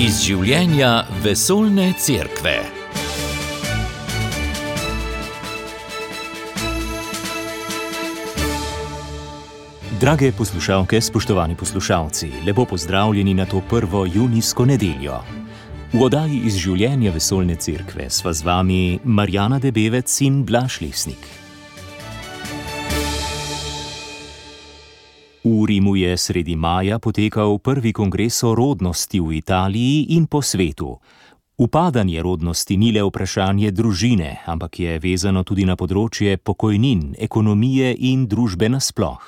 Iz življenja vesoljne cerkve. Drage poslušalke, spoštovani poslušalci, lepo pozdravljeni na to prvo junijsko nedeljo. V oddaji Iz življenja vesoljne cerkve sva z vami Marjana Debevec in Blaž Lesnik. V Rimu je sredi maja potekal prvi kongres o rodnosti v Italiji in po svetu. Upadanje rodnosti ni le vprašanje družine, ampak je vezano tudi na področje pokojnin, ekonomije in družbe nasploh.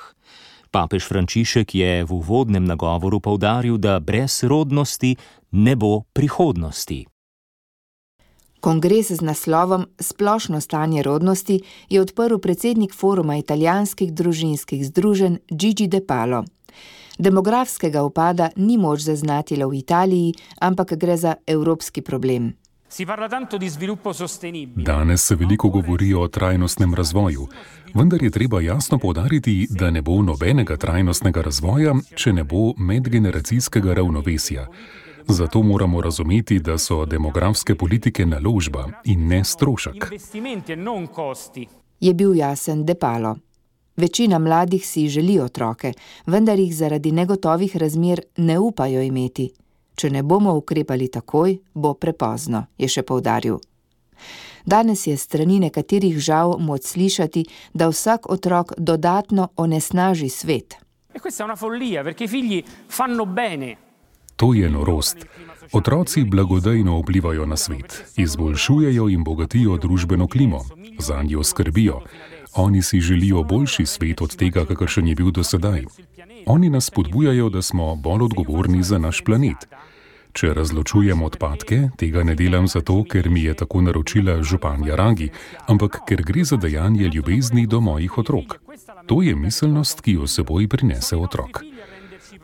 Papež Frančišek je v uvodnem nagovoru poudaril, da brez rodnosti ne bo prihodnosti. Kongres z naslovom Splošno stanje rodnosti je odprl predsednik Foruma italijanskih družinskih združenj Gigi De Palo. Demografskega upada ni moč zaznati le v Italiji, ampak gre za evropski problem. Danes se veliko govori o trajnostnem razvoju, vendar je treba jasno poudariti, da ne bo nobenega trajnostnega razvoja, če ne bo medgeneracijskega ravnovesja. Zato moramo razumeti, da so demografske politike naložba in ne strošek. Je bil jasen De Palo. Večina mladih si želi otroke, vendar jih zaradi negotovih razmer ne upajo imeti. Če ne bomo ukrepali takoj, bo prepozno, je še poudaril. Danes je s strani nekaterih žal moč slišati, da vsak otrok dodatno onesnaži svet. To je norost. Otroci blagodejno vplivajo na svet, izboljšujejo in bogatijo družbeno klimo, zanjo skrbijo. Oni si želijo boljši svet od tega, kakršen je bil do sedaj. Oni nas spodbujajo, da smo bolj odgovorni za naš planet. Če razločujem odpadke, tega ne delam zato, ker mi je tako naročila županja Ragi, ampak ker gre za dejanje ljubezni do mojih otrok. To je miselnost, ki jo seboj prinese otrok.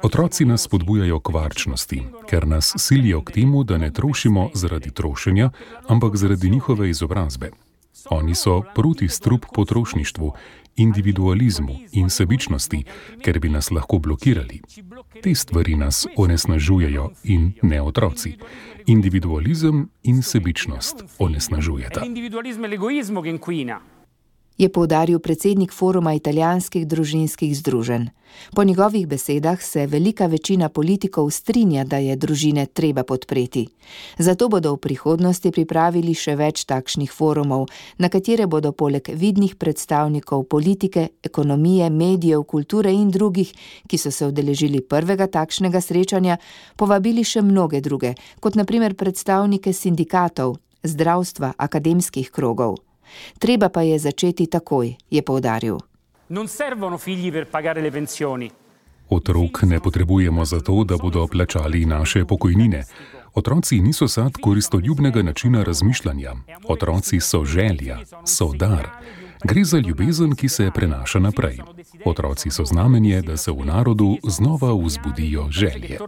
Otroci nas spodbujajo k varčnosti, ker nas silijo k temu, da ne trošimo zaradi trošenja, ampak zaradi njihove izobrazbe. Oni so proti strup potrošništvu, individualizmu in sebičnosti, ker bi nas lahko blokirali. Te stvari nas onesnažujejo in ne otroci. Individualizem in sebičnost onesnažujeta. Je poudaril predsednik Foruma italijanskih družinskih združenj. Po njegovih besedah se velika večina politikov strinja, da je družine treba podpreti. Zato bodo v prihodnosti pripravili še več takšnih forumov, na katere bodo poleg vidnih predstavnikov politike, ekonomije, medijev, kulture in drugih, ki so se udeležili prvega takšnega srečanja, povabili še mnoge druge, kot na primer predstavnike sindikatov, zdravstva, akademskih krogov. Treba pa je začeti takoj, je poudaril. Otrok ne potrebujemo zato, da bodo plačali naše pokojnine. Otroci niso sad koristoljubnega načina razmišljanja. Otroci so želja, so dar. Gre za ljubezen, ki se prenaša naprej. Otroci so znamenje, da se v narodu znova vzbudijo želje.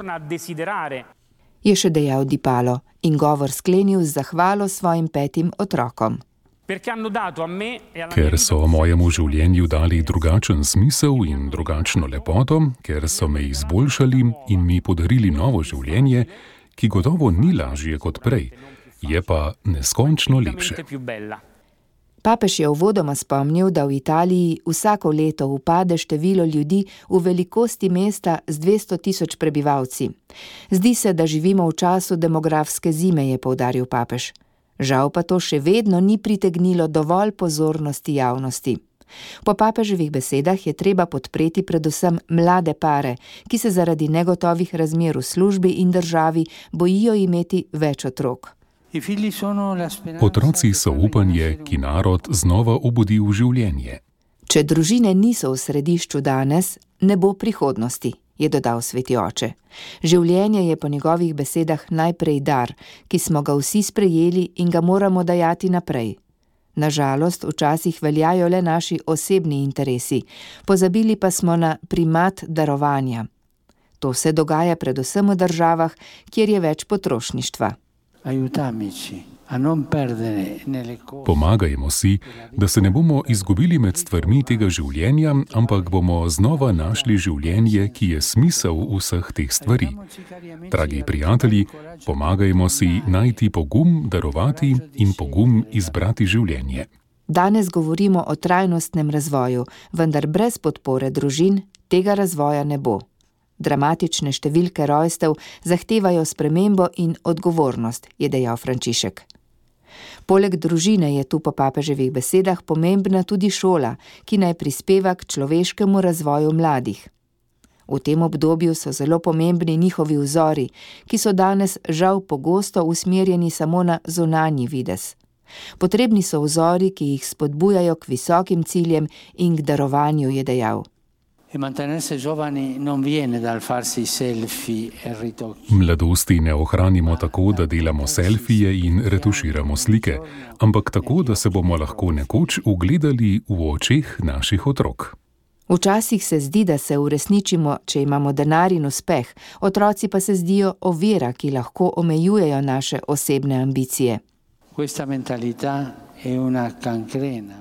Je še dejal Di Palo in govor sklenil z zahvalo svojim 5 otrokom. Ker so mojemu življenju dali drugačen smisel in drugačno lepoto, ker so me izboljšali in mi podarili novo življenje, ki gotovo ni lažje kot prej, je pa neskončno lepše. Papež je uvodoma spomnil, da v Italiji vsako leto upade število ljudi v velikosti mesta z 200.000 prebivalci. Zdi se, da živimo v času demografske zime, je poudaril papež. Žal pa to še vedno ni pritegnilo dovolj pozornosti javnosti. Po papeževih besedah je treba podpreti predvsem mlade pare, ki se zaradi negotovih razmer v službi in državi bojijo imeti več otrok. Otroci so upanje, ki narod znova obudi v življenje. Če družine niso v središču danes, ne bo prihodnosti, je dodal sveti oče. Življenje je po njegovih besedah najprej dar, ki smo ga vsi sprejeli in ga moramo dajati naprej. Nažalost, včasih veljajo le naši osebni interesi, pozabili pa smo na primat darovanja. To se dogaja predvsem v državah, kjer je več potrošništva. Pomagajmo si, da se ne bomo izgubili med stvarmi tega življenja, ampak bomo znova našli življenje, ki je smisel vseh teh stvari. Dragi prijatelji, pomagajmo si najti pogum, darovati in pogum izbrati življenje. Danes govorimo o trajnostnem razvoju, vendar brez podpore družin tega razvoja ne bo. Dramatične številke rojstev zahtevajo spremembo in odgovornost, je dejal Frančišek. Poleg družine je tu po papeževih besedah pomembna tudi šola, ki naj prispeva k človeškemu razvoju mladih. V tem obdobju so zelo pomembni njihovi vzori, ki so danes žal pogosto usmerjeni samo na zunanji videz. Potrebni so vzori, ki jih spodbujajo k visokim ciljem in k darovanju, je dejal. Mladosti ne ohranimo tako, da delamo selfije in retuširamo slike, ampak tako, da se bomo lahko nekoč ugledali v očeh naših otrok. Včasih se zdi, da se uresničimo, če imamo denar in uspeh, otroci pa se zdijo ovira, ki lahko omejujejo naše osebne ambicije.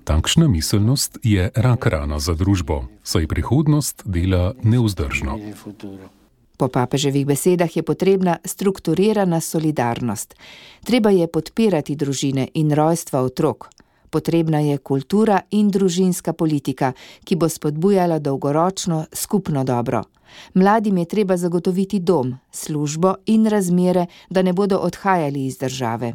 Takšna miselnost je rak rana za družbo, saj prihodnost dela nevzdržno. Po papeževih besedah je potrebna strukturirana solidarnost. Treba je podpirati družine in rojstva otrok. Potrebna je kultura in družinska politika, ki bo spodbujala dolgoročno skupno dobro. Mladim je treba zagotoviti dom, službo in razmere, da ne bodo odhajali iz države.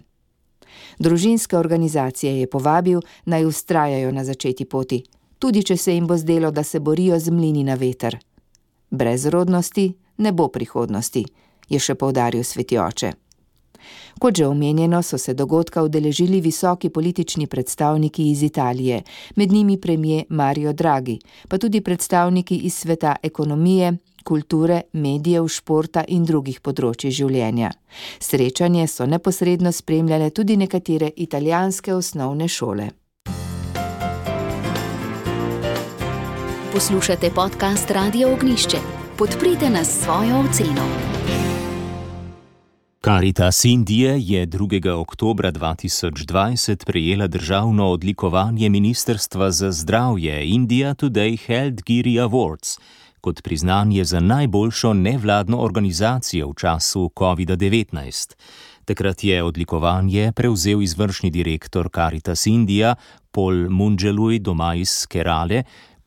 Družinske organizacije je povabil, naj vztrajajo na začeti poti, tudi če se jim bo zdelo, da se borijo z mlini na veter. Brez rodnosti ne bo prihodnosti, je še poudaril sveti oče. Kot že omenjeno, so se dogodka udeležili visoki politični predstavniki iz Italije, med njimi premier Mario Draghi, pa tudi predstavniki iz sveta ekonomije, kulture, medijev, športa in drugih področij življenja. Srečanje so neposredno spremljale tudi nekatere italijanske osnovne šole. Poslušate podcast Radio Ognjišče. Podprite nas s svojo oceno. Caritas Indije je 2. oktobra 2020 prejela državno odlikovanje Ministrstva za zdravje India Today Healthcare Awards kot priznanje za najboljšo nevladno organizacijo v času COVID-19. Takrat je odlikovanje prevzel izvršni direktor Caritas India Paul Munjalui Domais Kerale,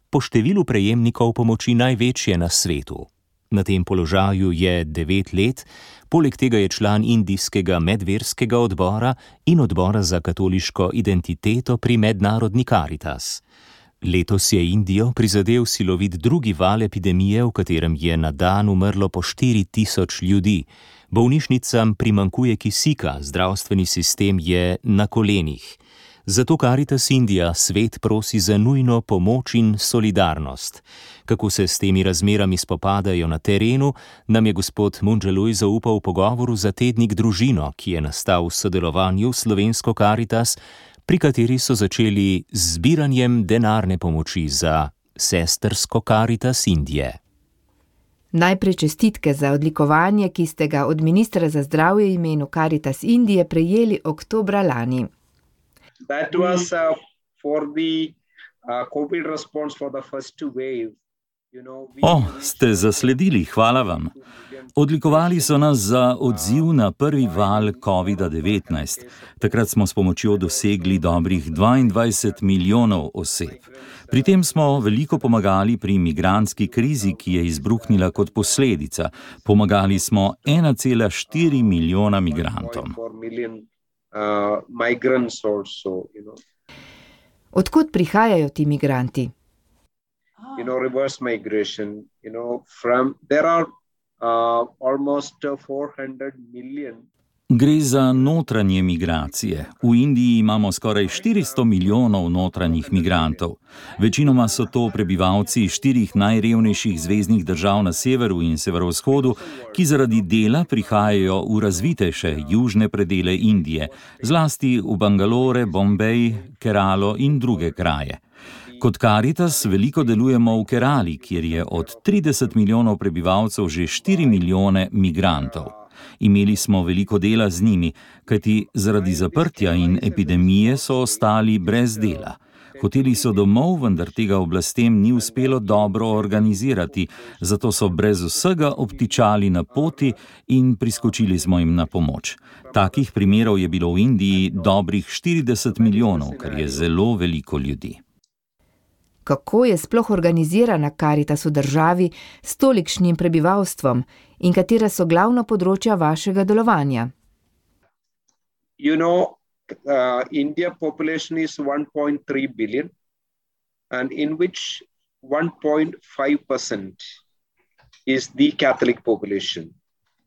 po številu prejemnikov pomoči največje na svetu. Na tem položaju je 9 let, poleg tega je član indijskega medverskega odbora in odbora za katoliško identiteto pri mednarodni Caritas. Letos je Indijo prizadel silovit drugi val epidemije, v katerem je na dan umrlo po 4000 ljudi. Bolnišnicam primanjkuje kisika, zdravstveni sistem je na kolenih. Zato Caritas Indija svet prosi za nujno pomoč in solidarnost. Kako se s temi razmerami spopadajo na terenu, nam je gospod Munjalui zaupal v pogovoru za tednik Družino, ki je nastal v sodelovanju s slovensko Caritas, pri kateri so začeli z zbiranjem denarne pomoči za sestrsko Caritas Indije. Najprej čestitke za odlikovanje, ki ste ga od ministra za zdravje v imenu Caritas Indije prejeli oktobra lani. That was for the COVID response for the first 2 waves. Ste zasledili, hvala vam. Odlikovali so nas za odziv na prvi val COVID-19. Takrat smo s pomočjo dosegli dobrih 22 milijonov oseb. Pri tem smo veliko pomagali pri migrantski krizi, ki je izbruhnila kot posledica. Pomagali smo 1,4 milijona migrantom. Odkot prihajajo ti migranti? Reverse migration, there are almost 400 million. Gre za notranje migracije. V Indiji imamo skoraj 400 milijonov notranjih migrantov. Večinoma so to prebivalci 4 najrevnejših zveznih držav na severu in severovzhodu, ki zaradi dela prihajajo v razvitejše južne predele Indije, zlasti v Bangalore, Bombej, Keralo in druge kraje. Kot Caritas veliko delujemo v Kerali, kjer je od 30 milijonov prebivalcev že 4 milijone migrantov. Imeli smo veliko dela z njimi, kajti zaradi zaprtja in epidemije so ostali brez dela. Hoteli so domov, vendar tega oblastem ni uspelo dobro organizirati, zato so brez vsega obtičali na poti in priskočili smo jim na pomoč. Takih primerov je bilo v Indiji dobrih 40 milijonov, kar je zelo veliko ljudi. Kako je sploh organizirana Karitas v državi s tolikšnim prebivalstvom in katera so glavna področja vašega delovanja? India population is 1.3 billion, and in which 1.5% is the Catholic population,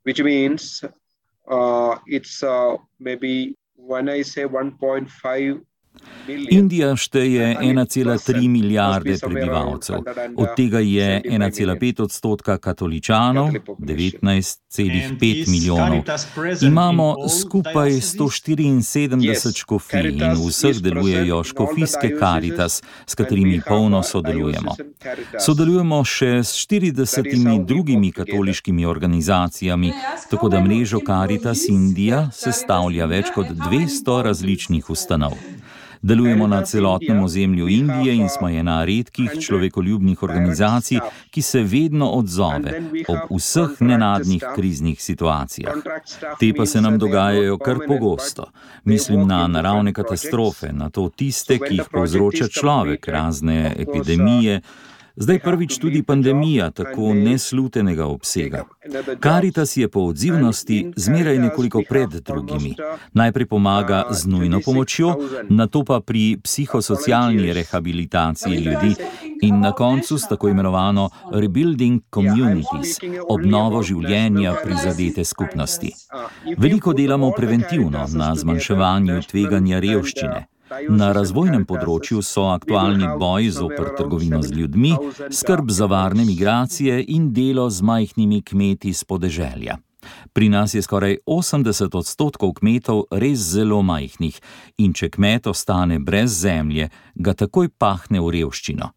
which means it's maybe when I say 1.5 Indija šteje 1,3 milijarde prebivalcev, od tega je 1,5% katoličanov, 19,5 milijonov. Imamo skupaj 174 škofij in v vseh delujejo škofijske Karitas, s katerimi polno sodelujemo. Sodelujemo še s 40 drugimi katoliškimi organizacijami, tako da mrežo Karitas Indija sestavlja več kot 200 različnih ustanov. Delujemo na celotnem ozemlju Indije in smo ena redkih človekoljubnih organizacij, ki se vedno odzove ob vseh nenadnih kriznih situacijah. Te pa se nam dogajajo kar pogosto. Mislim na naravne katastrofe, na to tiste, ki jih povzroča človek, razne epidemije, zdaj prvič tudi pandemija tako neslutenega obsega. Karitas je po odzivnosti zmeraj nekoliko pred drugimi. Najprej pomaga z nujno pomočjo, nato pa pri psihosocialni rehabilitaciji ljudi in na koncu s tako imenovano rebuilding communities, obnovo življenja prizadete skupnosti. Veliko delamo preventivno na zmanjševanju tveganja revščine. Na razvojnem področju so aktualni boj zoper trgovino z ljudmi, skrb za varne migracije in delo z majhnimi kmeti s podeželja. Pri nas je skoraj 80% kmetov res zelo majhnih in če kmet ostane brez zemlje, ga takoj pahne v revščino.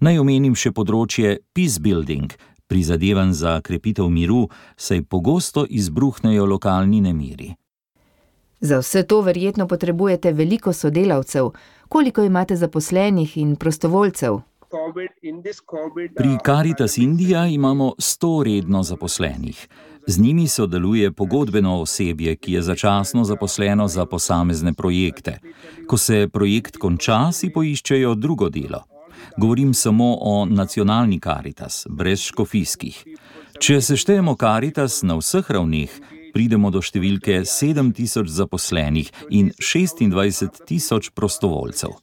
Naj omenim še področje peace building, prizadevanj za krepitev miru, saj pogosto izbruhnejo lokalni nemiri. Za vse to verjetno potrebujete veliko sodelavcev. Koliko imate zaposlenih in prostovoljcev? Pri Karitas Indija imamo 100 redno zaposlenih. Z njimi sodeluje pogodbeno osebje, ki je začasno zaposleno za posamezne projekte. Ko se projekt konča, si poiščejo drugo delo. Govorim samo o nacionalni Karitas, brez škofijskih. Če seštejemo Karitas na vseh ravneh, pridemo do številke 7,000 zaposlenih in 26,000 prostovoljcev.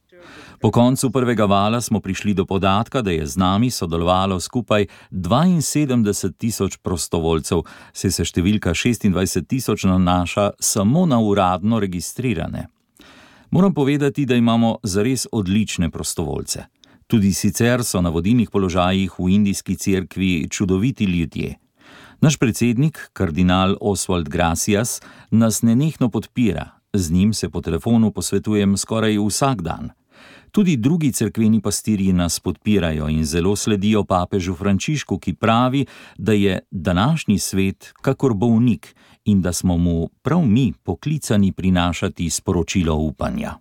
Po koncu prvega vala smo prišli do podatka, da je z nami sodelovalo skupaj 72,000 prostovoljcev, saj se številka 26,000 nanaša samo na uradno registrirane. Moram povedati, da imamo zares odlične prostovoljce. Tudi sicer so na vodilnih položajih v indijski cerkvi čudoviti ljudje. Naš predsednik, kardinal Oswald Gracias, nas nenehno podpira. Z njim se po telefonu posvetujem skoraj vsak dan. Tudi drugi cerkveni pastirji nas podpirajo in zelo sledijo papežu Frančišku, ki pravi, da je današnji svet kakor bolnik in da smo mu prav mi poklicani prinašati sporočilo upanja.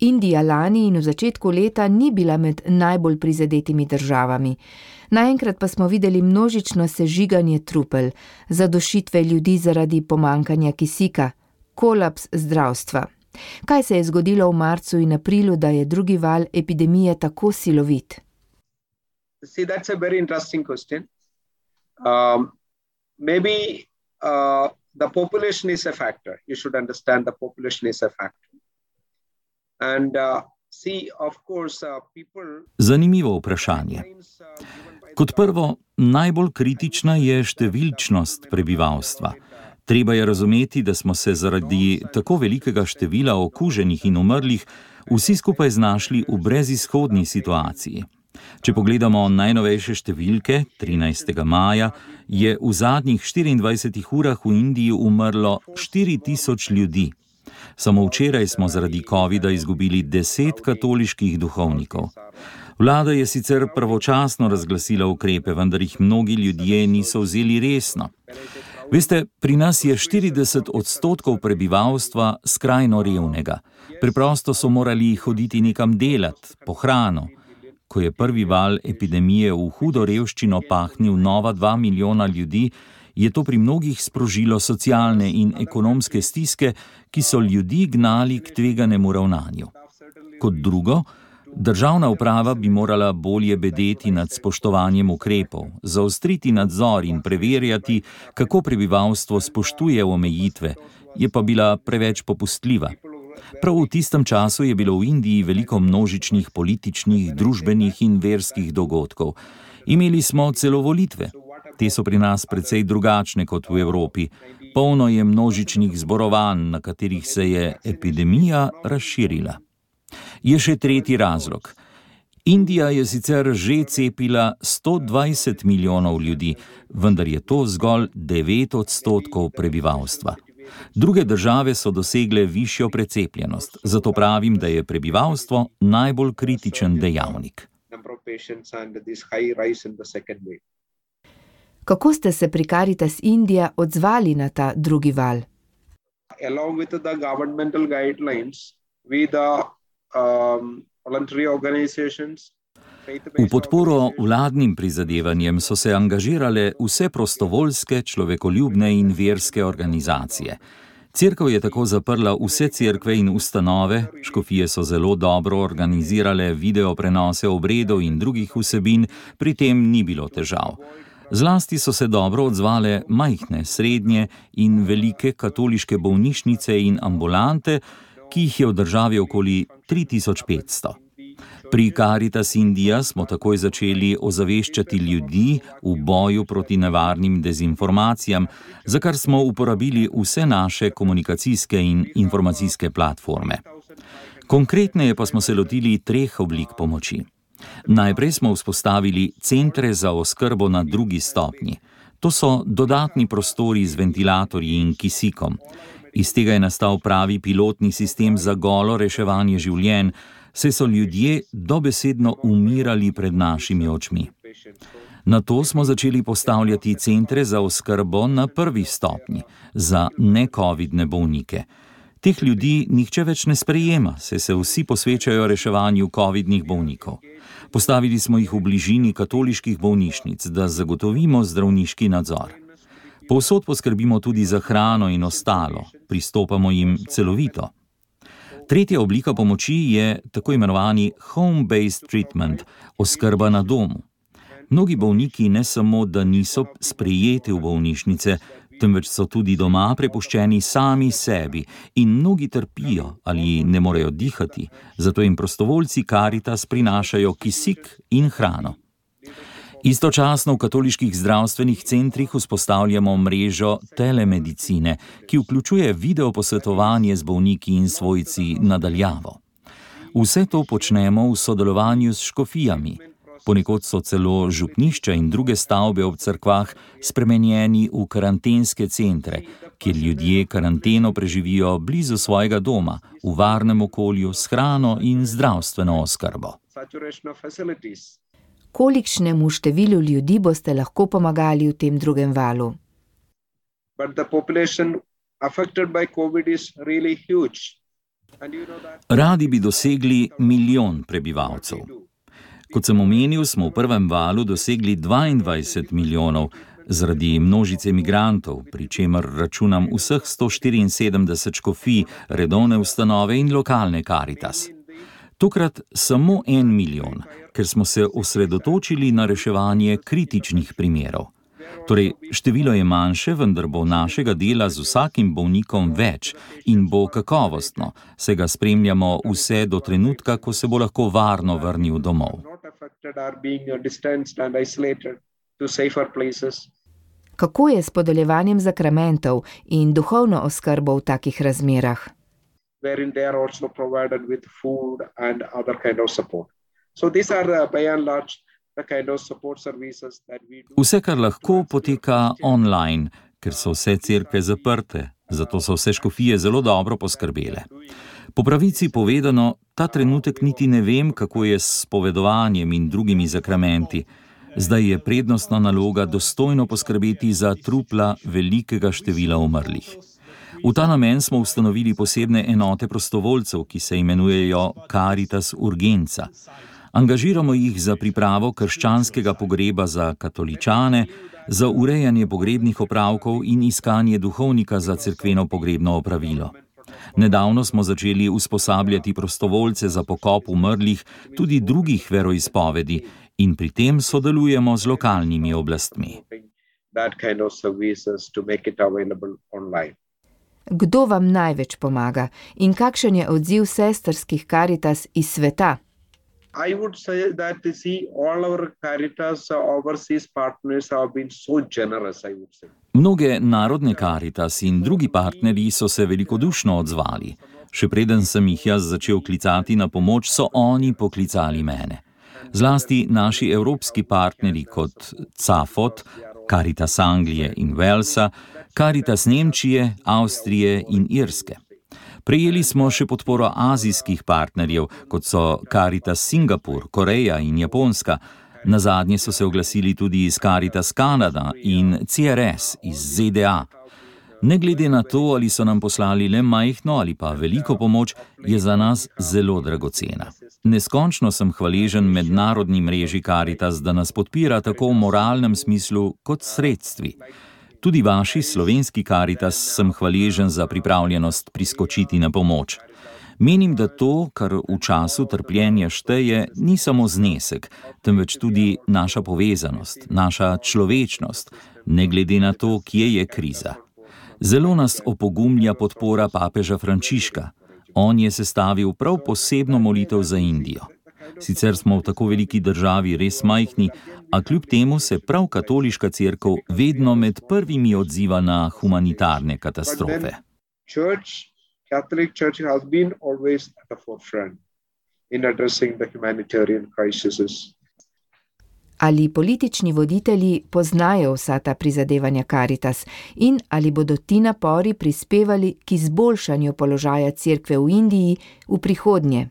Indija lani in v začetku leta ni bila med najbolj prizadetimi državami. Naenkrat pa smo videli množično sežiganje trupel, zadušitve ljudi zaradi pomanjkanja kisika, kolaps zdravstva. Kaj se je zgodilo v marcu in aprilu, da je drugi val epidemije tako silovit? See, that's a very interesting question. Maybe the population is a factor. You should understand the population is a factor. And see, of course, people... Zanimivo vprašanje. Kot prvo, najbolj kritična je številčnost prebivalstva. Treba je razumeti, da smo se zaradi tako velikega števila okuženih in umrlih vsi skupaj znašli v brezizhodni situaciji. Če pogledamo najnovejše številke, 13. maja, je v zadnjih 24 urah v Indiji umrlo 4,000 ljudi. Samo včeraj smo zaradi covida izgubili 10 katoliških duhovnikov. Vlada je sicer pravočasno razglasila ukrepe, vendar jih mnogi ljudje niso vzeli resno. Veste, pri nas je 40% prebivalstva skrajno revnega. Preprosto so morali hoditi nekam delat, po hrano. Ko je prvi val epidemije v hudo revščino pahnil nova 2 milijona ljudi, je to pri mnogih sprožilo socialne in ekonomske stiske, ki so ljudi gnali k tveganemu ravnanju. Kot drugo, državna uprava bi morala bolje bedeti nad spoštovanjem ukrepov, zaostriti nadzor in preverjati, kako prebivalstvo spoštuje omejitve, je pa bila preveč popustljiva. Prav v tistem času je bilo v Indiji veliko množičnih političnih, družbenih in verskih dogodkov. Imeli smo celo volitve. Te so pri nas precej drugačne kot v Evropi. Polno je množičnih zborovanj, na katerih se je epidemija razširila. Je še tretji razlog. Indija je sicer že cepila 120 milijonov ljudi, vendar je to zgolj 9% prebivalstva. Druge države so dosegle višjo precepljenost, zato pravim, da je prebivalstvo najbolj kritičen dejavnik. Kako ste se pri Caritas India odzvali na ta drugi val? Along with the governmental guidelines, we the voluntary organizations. V podporo vladnim prizadevanjem so se angažirale vse prostovoljske, človekoljubne in verske organizacije. Cerkev je tako zaprla vse cerkve in ustanove, škofije so zelo dobro organizirale video prenose obredov in drugih vsebin, pri tem ni bilo težav. Zlasti so se dobro odzvale majhne, srednje in velike katoliške bolnišnice in ambulante, ki jih je v državi okoli 3500. Pri Caritas India smo takoj začeli ozaveščati ljudi v boju proti nevarnim dezinformacijam, za kar smo uporabili vse naše komunikacijske in informacijske platforme. Konkretneje pa smo se lotili 3 oblik pomoči. Najprej smo vzpostavili centre za oskrbo na 2. stopnji. To so dodatni prostori z ventilatorji in kisikom. Iz tega je nastal pravi pilotni sistem za golo reševanje življenj, saj so ljudje dobesedno umirali pred našimi očmi. Nato smo začeli postavljati centre za oskrbo na 1. stopnji, za ne-covidne bolnike. Teh ljudi nihče več ne sprejema, saj se vsi posvečajo reševanju covidnih bolnikov. Postavili smo jih v bližini katoliških bolnišnic, da zagotovimo zdravniški nadzor. Povsod poskrbimo tudi za hrano in ostalo, pristopamo jim celovito. Tretja oblika pomoči je tako imenovani home-based treatment, oskrba na domu. Mnogi bolniki ne samo, da niso sprejeti v bolnišnice, temveč so tudi doma prepuščeni sami sebi in mnogi trpijo ali ne morejo dihati, zato jim prostovoljci Caritas prinašajo kisik in hrano. Istočasno v katoliških zdravstvenih centrih vzpostavljamo mrežo telemedicine, ki vključuje video posvetovanje z bolniki in svojci na daljavo. Vse to počnemo v sodelovanju s škofijami. Ponekod so celo župnišča in druge stavbe ob cerkvah spremenjeni v karantenske centre, kjer ljudje karanteno preživijo blizu svojega doma, v varnem okolju, s hrano in zdravstveno oskrbo. Kolikšnemu številu ljudi boste lahko pomagali v tem drugem valu? Radi bi dosegli 1 milijon prebivalcev. Kot sem omenil, smo v prvem valu dosegli 22 milijonov zaradi množice migrantov, pri čemer računam vseh 174 škofij, redovne ustanove in lokalne Caritas. Tokrat samo 1 milijon, ker smo se osredotočili na reševanje kritičnih primerov. Torej, število je manjše, vendar bo našega dela z vsakim bolnikom več in bo kakovostno, saj ga spremljamo vse do trenutka, ko se bo lahko varno vrnil domov. Kako je s podeljevanjem zakramentov in duhovno oskrbo v takih razmerah? Wherein they are also provided with food and other kind of support. So these are by and large the kind of support services that we do. Vse, kar lahko, poteka online, ker so vse cerkve zaprte, zato so vse škofije zelo dobro poskrbele. Po pravici povedano, ta trenutek niti ne vem, kako je s spovedovanjem in drugimi zakramenti. Zdaj je prednostna naloga dostojno poskrbeti za trupla velikega števila umrlih. V ta namen smo ustanovili posebne enote prostovoljcev, ki se imenujejo Caritas Urgenza. Angažiramo jih za pripravo krščanskega pogreba za katoličane, za urejanje pogrebnih opravkov in iskanje duhovnika za cerkveno pogrebno opravilo. Nedavno smo začeli usposabljati prostovoljce za pokop umrlih tudi drugih veroizpovedi in pri tem sodelujemo z lokalnimi oblastmi. Kdo vam največ pomaga in kakšen je odziv sestrskih Caritas iz sveta? I would say that all our Caritas overseas partners have been so generous, I would say. Mnoge narodne Caritas in drugi partnerji so se velikodušno odzvali. Še preden sem jih jaz začel klicati na pomoč, so oni poklicali mene. Zlasti naši evropski partnerji kot CAFOT, Caritas Anglije in Walesa, Caritas Nemčije, Avstrije in Irske. Prejeli smo še podporo azijskih partnerjev, kot so Caritas Singapur, Koreja in Japonska. Nazadnje so se oglasili tudi iz Caritas Kanada in CRS iz ZDA. Ne glede na to, ali so nam poslali le majhno ali pa veliko pomoč, je za nas zelo dragocena. Neskončno sem hvaležen mednarodni mreži Caritas, da nas podpira tako v moralnem smislu kot sredstvi. Tudi vaši slovenski Caritas sem hvaležen za pripravljenost priskočiti na pomoč. Menim, da to, kar v času trpljenja šteje, ni samo znesek, temveč tudi naša povezanost, naša človečnost, ne glede na to, kje je kriza. Zelo nas opogumlja podpora papeža Frančiška. On je sestavil prav posebno molitev za Indijo. Sicer smo v tako veliki državi res majhni, a kljub temu se prav katoliška cerkev vedno med prvimi odziva na humanitarne katastrofe. Catholic Church has been always at the forefront in addressing the humanitarian crises. Ali politični voditelji poznajo vsa ta prizadevanja Caritas in ali bodo ti napori prispevali k izboljšanju položaja cerkve v Indiji v prihodnje?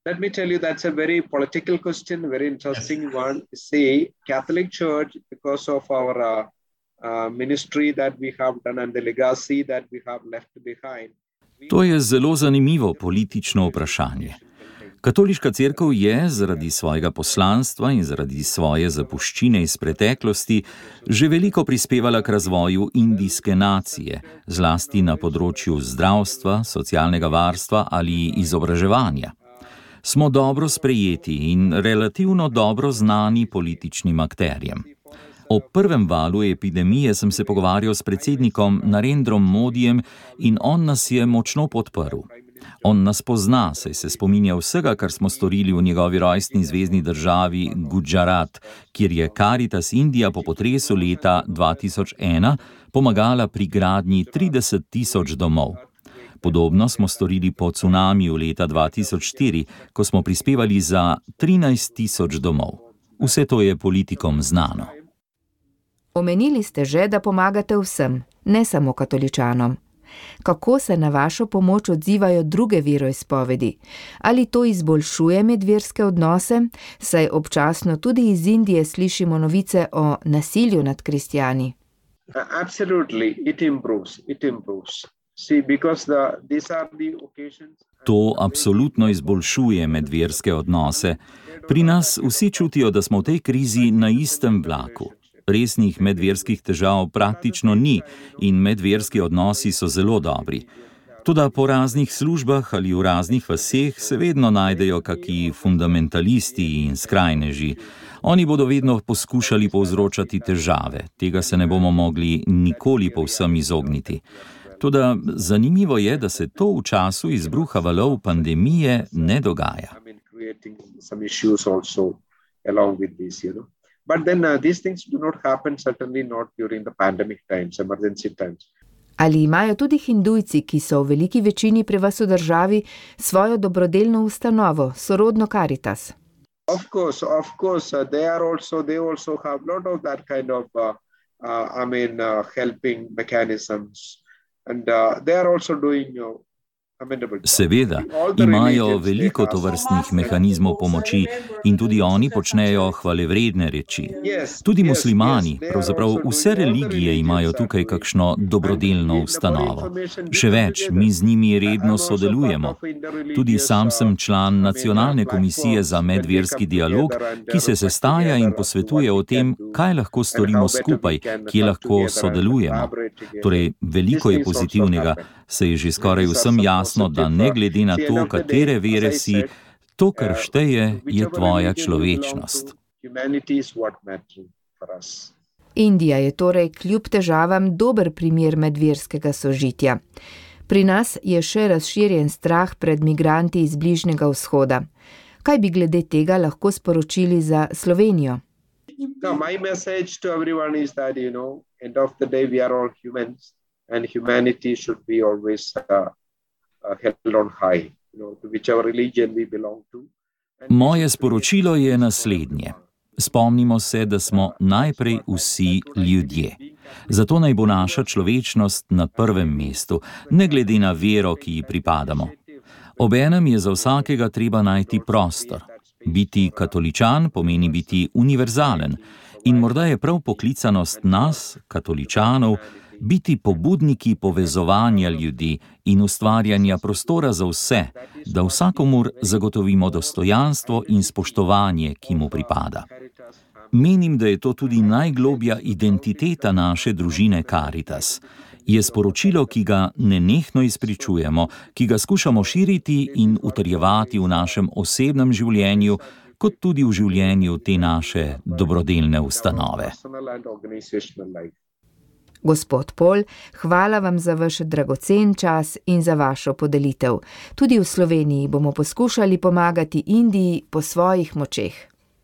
Let me tell you, that's a very political question, very interesting one. See, Catholic Church, because of our ministry that we have done and the legacy that we have left behind. To je zelo zanimivo politično vprašanje. Katoliška cerkev je zaradi svojega poslanstva in zaradi svoje zapuščine iz preteklosti že veliko prispevala k razvoju indijske nacije, zlasti na področju zdravstva, socialnega varstva ali izobraževanja. Smo dobro sprejeti in relativno dobro znani političnim akterjem. O prvem valu epidemije sem se pogovarjal s predsednikom Narendrom Modijem in on nas je močno podprl. On nas pozna, saj se spominja vsega, kar smo storili v njegovi rojstni zvezni državi Gujarat, kjer je Caritas Indija po potresu leta 2001 pomagala pri gradnji 30.000 domov. Podobno smo storili po cunamiju leta 2004, ko smo prispevali za 13.000 domov. Vse to je politikom znano. Omenili ste že, da pomagate vsem, ne samo katoličanom. Kako se na vašo pomoč odzivajo druge veroizpovedi? Ali to izboljšuje medverske odnose? Saj občasno tudi iz Indije slišimo novice o nasilju nad kristjani. Absolutely, it improves. See, because these are the occasions. To absolutno izboljšuje medverske odnose. Pri nas vsi čutijo, da smo v tej krizi na istem vlaku. Resnih medverskih težav praktično ni in medverski odnosi so zelo dobri. Toda po raznih službah ali v raznih vaseh se vedno najdejo kaki fundamentalisti in skrajneži. Oni bodo vedno poskušali povzročati težave, tega se ne bomo mogli nikoli povsem izogniti. Toda zanimivo je, da se to v času izbruha valov pandemije ne dogaja. But then these things do not happen, certainly not during the pandemic times, emergency times. Ali imajo tudi hindujci, ki so v veliki večini pri vas v državi, svojo dobrodelno ustanovo, sorodno Caritas? Of course, they also have a lot of that kind of, helping mechanisms. And they are also doing Seveda, imajo veliko tovrstnih mehanizmov pomoči in tudi oni počnejo hvalevredne reči. Tudi muslimani, pravzaprav vse religije imajo tukaj kakšno dobrodelno ustanovo. Še več, mi z njimi redno sodelujemo. Tudi sam sem član Nacionalne komisije za medverski dialog, ki se sestaja in posvetuje o tem, kaj lahko storimo skupaj, kje lahko sodelujemo. Torej, veliko je pozitivnega, se je že skoraj vsem jasno, da ne glede na to, katere vere si, to, kar šteje, je tvoja človečnost. Indija je torej kljub težavam dober primer medverskega sožitja. Pri nas je še razširjen strah pred migranti iz Bližnjega vzhoda. Kaj bi glede tega lahko sporočili za Slovenijo? My message to everyone is that, end of the day we are all humans and humanity should be always held on high, to whichever religion we belong to. Moje sporočilo je naslednje. Spomnimo se, da smo najprej vsi ljudje. Zato naj bo naša človečnost na prvem mestu, ne glede na vero, ki ji pripadamo. Obenem je za vsakega treba najti prostor. Biti katoličan pomeni biti univerzalen in morda je prav poklicanost nas, katoličanov, biti pobudniki povezovanja ljudi in ustvarjanja prostora za vse, da vsakomur zagotovimo dostojanstvo in spoštovanje, ki mu pripada. Menim, da je to tudi najglobja identiteta naše družine Caritas. Je sporočilo, ki ga nenehno izpričujemo, ki ga skušamo širiti in utrjevati v našem osebnem življenju, kot tudi v življenju te naše dobrodelne ustanove. Gospod Pol, hvala vam za vaš dragocen čas in za vašo podelitev. Tudi v Sloveniji bomo poskušali pomagati Indiji po svojih močeh.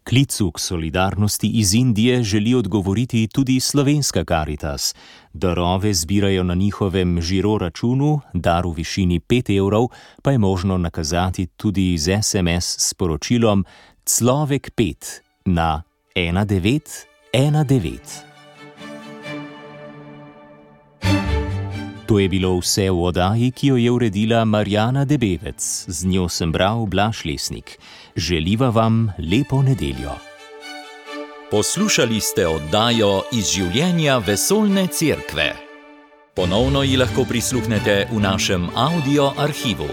Klicu k solidarnosti iz Indije želi odgovoriti tudi slovenska Caritas. Darove zbirajo na njihovem žiro računu, dar v višini 5 evrov pa je možno nakazati tudi z SMS sporočilom Človek 5 na 1919. To je bilo vse v oddaji, ki jo je uredila Marjana Debevec. Z njo sem bral Blaž Lesnik. Želiva vam lepo nedeljo. Poslušali ste oddajo Iz življenja vesoljne cerkve. Ponovno ji lahko prisluhnete v našem audio arhivu.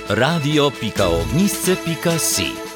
radio.ognisce.si